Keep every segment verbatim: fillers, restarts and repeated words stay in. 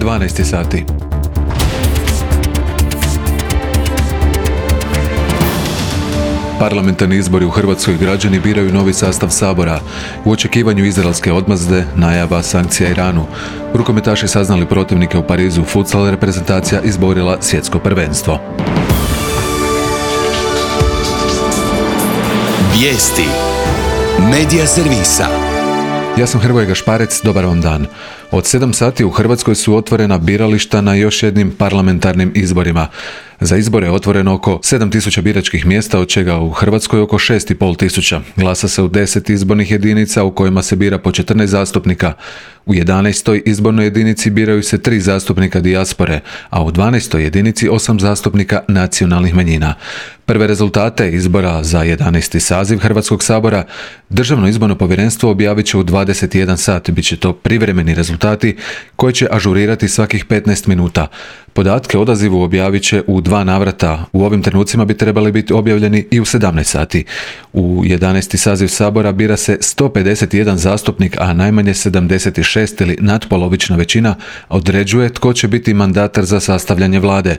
dvanaest sati. Parlamentarni izbori u Hrvatskoj, građani biraju novi sastav Sabora. U očekivanju izraelske odmazde, najava sankcija Iranu. Rukometaši saznali protivnike u Parizu, futsal reprezentacija izborila svjetsko prvenstvo. Vijesti Medija servisa. Ja sam Hrvoje Gašparec, dobar vam dan. Od sedam sati u Hrvatskoj su otvorena birališta na još jednim parlamentarnim izborima. Za izbore je otvoreno oko sedam tisuća biračkih mjesta, od čega u Hrvatskoj oko šest i pol tisuća. Glasa se u deset izbornih jedinica u kojima se bira po četrnaest zastupnika. U jedanaestoj izbornoj jedinici biraju se tri zastupnika dijaspore, a u dvanaestoj jedinici osam zastupnika nacionalnih manjina. Prve rezultate izbora za jedanaesti saziv Hrvatskog sabora Državno izborno povjerenstvo objavit će u dvadeset jedan sat. Biće to privremeni rezultati koje će ažurirati svakih petnaest minuta. Podatke o odazivu objavit će u dva navrata. U ovim trenucima bi trebali biti objavljeni i u sedamnaest sati. U jedanaesti saziv Sabora bira se sto pedeset jedan zastupnik, a najmanje sedamdeset šest ili natpolovična većina određuje tko će biti mandatar za sastavljanje vlade.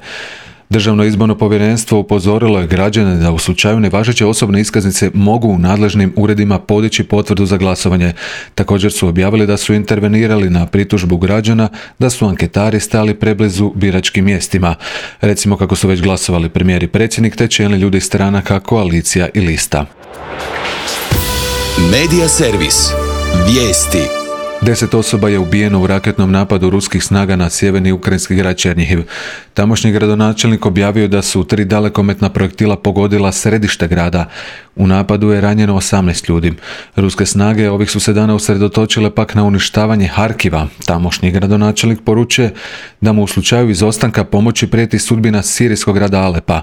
Državno izborno povjerenstvo upozorilo je građane da u slučaju nevažeće osobne iskaznice mogu u nadležnim uredima podići potvrdu za glasovanje. Također su objavili da su intervenirali na pritužbu građana da su anketari stali preblizu biračkim mjestima. Recimo kako su već glasovali premijer i predsjednik te čelni ljudi stranaka, koalicija i lista. Medija servis. Vijesti. Deset osoba je ubijeno u raketnom napadu ruskih snaga na sjeverni ukrajinski grad Černjihiv. Tamošnji gradonačelnik objavio da su tri dalekometna projektila pogodila središte grada. U napadu je ranjeno osamnaest ljudi. Ruske snage ovih su se dana usredotočile pak na uništavanje Harkiva. Tamošnji gradonačelnik poručuje da mu u slučaju izostanka pomoći prijeti sudbina sirijskog grada Alepa.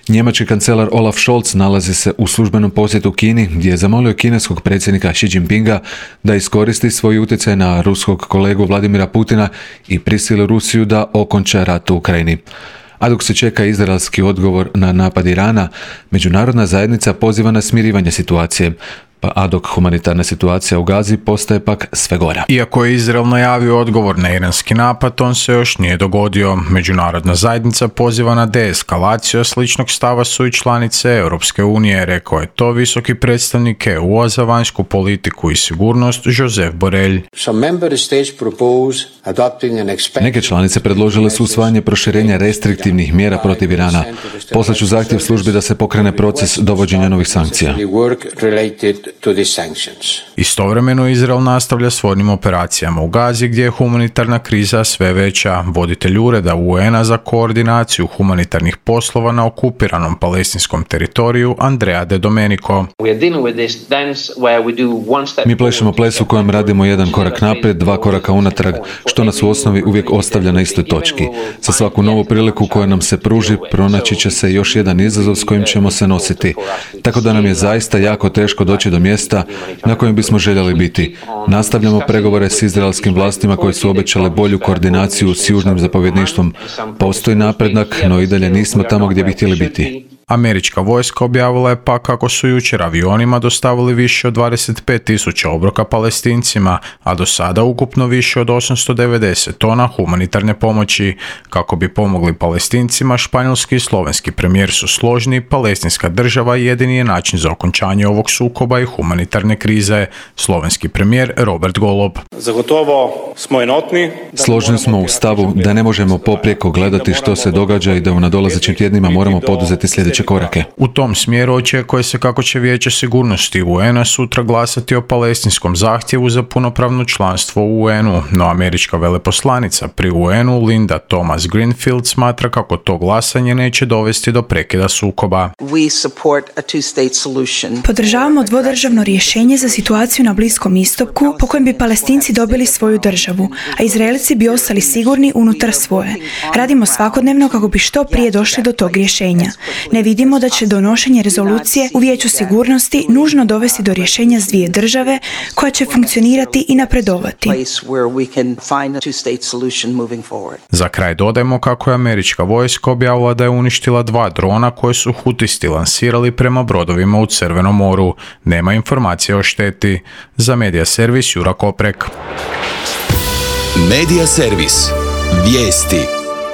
Njemački kancelar Olaf Scholz nalazi se u službenom posjetu Kini, gdje je zamolio kineskog predsjednika Xi Jinpinga da iskoristi svoj utjecaj na ruskog kolegu Vladimira Putina i prisili Rusiju da okonča rat u Ukrajini. A dok se čeka izraelski odgovor na napad Irana, međunarodna zajednica poziva na smirivanje situacije. A dok humanitarna situacija u Gazi postaje pak sve gora. Iako je Izrael najavio odgovor na iranski napad, on se još nije dogodio. Međunarodna zajednica poziva na deeskalaciju, sličnog stava su i članice Europske unije, rekao je to visoki predstavnik E U-a za vanjsku politiku i sigurnost Josep Borrell. Neke članice predložile su usvajanje proširenja restriktivnih mjera protiv Irana. Poslaću zahtjev službi da se pokrene proces dovođenja novih sankcija. Istovremeno Izrael nastavlja s vojnim operacijama u Gazi, gdje je humanitarna kriza sve veća. Voditelj ureda U N-a za koordinaciju humanitarnih poslova na okupiranom palestinskom teritoriju Andrea De Domenico. Mi plešemo ples u kojem radimo jedan korak naprijed, dva koraka unatrag, što nas u osnovi uvijek ostavlja na istoj točki. Za svaku novu priliku koja nam se pruži, pronaći će se još jedan izazov s kojim ćemo se nositi. Tako da nam je zaista jako teško doći do mjesta na kojem bismo željeli biti. Nastavljamo pregovore s izraelskim vlastima koje su obećale bolju koordinaciju s južnim zapovjedništvom. Postoji napredak, no i dalje nismo tamo gdje bi htjeli biti. Američka vojska objavila je pa kako su jučer avionima dostavili više od dvadeset pet tisuća obroka Palestincima, a do sada ukupno više od osamsto devedeset tona humanitarne pomoći. Kako bi pomogli Palestincima, španjolski i slovenski premijer su složni, palestinska država jedini je način za okončanje ovog sukoba i humanitarne krize. Slovenski premijer Robert Golob. Zagotovo smo enotni. Složni smo u stavu da ne možemo poprijeko gledati što se događa i da u nadolazećim tjednima moramo poduzeti sljedeće korake. U tom smjeru očekuje se kako će Vijeće sigurnosti U N-a sutra glasati o palestinskom zahtjevu za punopravno članstvo u U N-u, no američka veleposlanica pri U N-u Linda Thomas Greenfield smatra kako to glasanje neće dovesti do prekida sukoba. Podržavamo dvodržavno rješenje za situaciju na Bliskom istoku po kojem bi Palestinci dobili svoju državu, a Izraelci bi ostali sigurni unutar svoje. Radimo svakodnevno kako bi što prije došli do tog rješenja. Ne vidimo da će donošenje rezolucije u Vijeću sigurnosti nužno dovesti do rješenja s dvije države koja će funkcionirati i napredovati. Za kraj dodajmo kako je američka vojska objavila da je uništila dva drona koje su hutisti lansirali prema brodovima u Crvenom moru. Nema informacije o šteti. Za Medija servis Jura Koprek. Medija servis. Vijesti.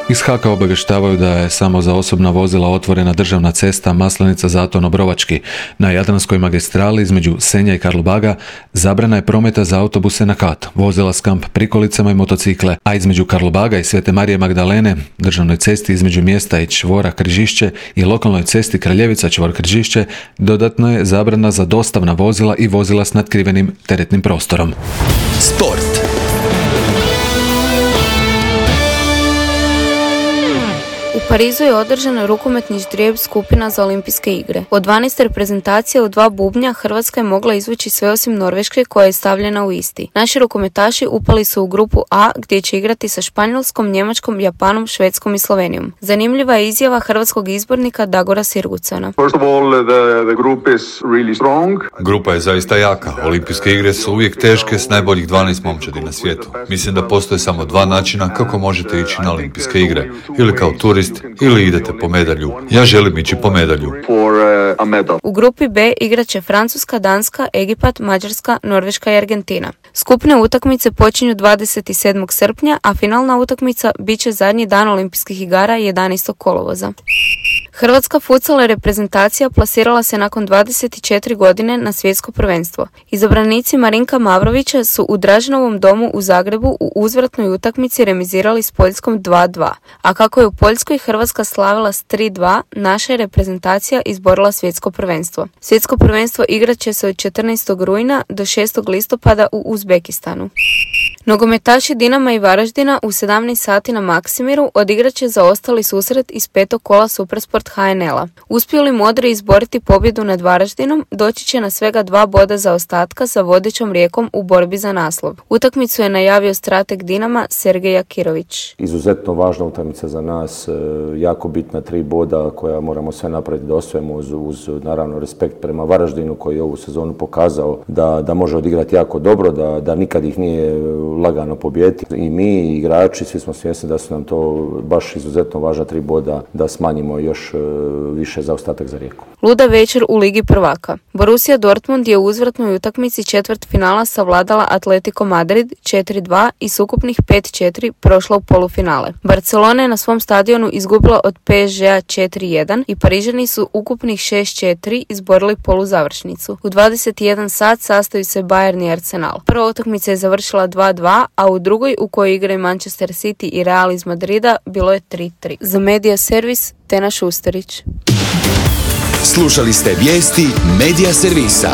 Iz Haka obavještavaju da je samo za osobna vozila otvorena državna cesta Maslenica-Zaton-Obrovački. Na Jadranskoj magistrali između Senja i Karlobaga zabrana je prometa za autobuse na kat, vozila s kamp prikolicama i motocikle, a između Karlobaga i Svete Marije Magdalene, državnoj cesti između mjesta i čvora Križišće i lokalnoj cesti Kraljevica čvor Križišće dodatno je zabrana za dostavna vozila i vozila s natkrivenim teretnim prostorom. Sport. U Parizu je održan rukometni ždrijeb skupina za olimpijske igre. Od dvanaest reprezentacija u dva bubnja Hrvatska je mogla izvući sve osim Norveške koja je stavljena u isti. Naši rukometaši upali su u grupu A gdje će igrati sa Španjolskom, Njemačkom, Japanom, Švedskom i Slovenijom. Zanimljiva je izjava hrvatskog izbornika Dagora Sirgucana. Grupa je zaista jaka. Olimpijske igre su uvijek teške s najboljih dvanaest momčadi na svijetu. Mislim da postoje samo dva načina kako možete ići na olimpijske igre. Ili kao turist ili idete po medalju. Ja želim ići po medalju. U grupi B igraće Francuska, Danska, Egipat, Mađarska, Norveška i Argentina. Skupne utakmice počinju dvadeset sedmog srpnja, a finalna utakmica bit će zadnji dan olimpijskih igara jedanaestog kolovoza. Hrvatska futsal reprezentacija plasirala se nakon dvadeset četiri godine na svjetsko prvenstvo. Izabranici Marinka Mavrovića su u Draženovom domu u Zagrebu u uzvratnoj utakmici remizirali s Poljskom dva dva, a kako je u Poljskoj Hrvatska slavila s tri dva, naša je reprezentacija izborila svjetsko prvenstvo. Svjetsko prvenstvo igrat će se od četrnaestog rujna do šestog listopada u Uzbekistanu. Nogometaši Dinama i Varaždina u sedamnaest sati na Maksimiru odigrat će zaostali susret iz petog kola Supersport H N L-a. Uspiju li modri izboriti pobjedu nad Varaždinom, doći će na svega dva boda zaostatka sa vodećom Rijekom u borbi za naslov. Utakmicu je najavio strateg Dinama Sergej Jakirović. Izuzetno važna utakmica za nas, jako bitna tri boda koja moramo sve napraviti da osvojimo uz, uz naravno respekt prema Varaždinu koji je ovu sezonu pokazao da, da može odigrati jako dobro, da, da nikad ih nije lagano pobijediti. I mi i igrači, svi smo svjesni da su nam to baš izuzetno važna tri boda da smanjimo još više zaostatak za Rijeku. Luda večer u Ligi prvaka. Borussia Dortmund je u uzvratnoj utakmici četvrt finala savladala Atletico Madrid četiri dva i s ukupnih pet četiri prošla u polufinale. Barcelona je na svom stadionu izgubila od P S G-a četiri jedan i Parižani su ukupnih šest četiri izborili poluzavršnicu. U dvadeset jedan sat sastaju se Bayern i Arsenal. Prva utakmica je završila dva dva, a u drugoj u kojoj igraju Manchester City i Real iz Madrida bilo je tri tri. Za Medija Servis Tena Šusterić. Slušali ste vijesti Medija Servisa.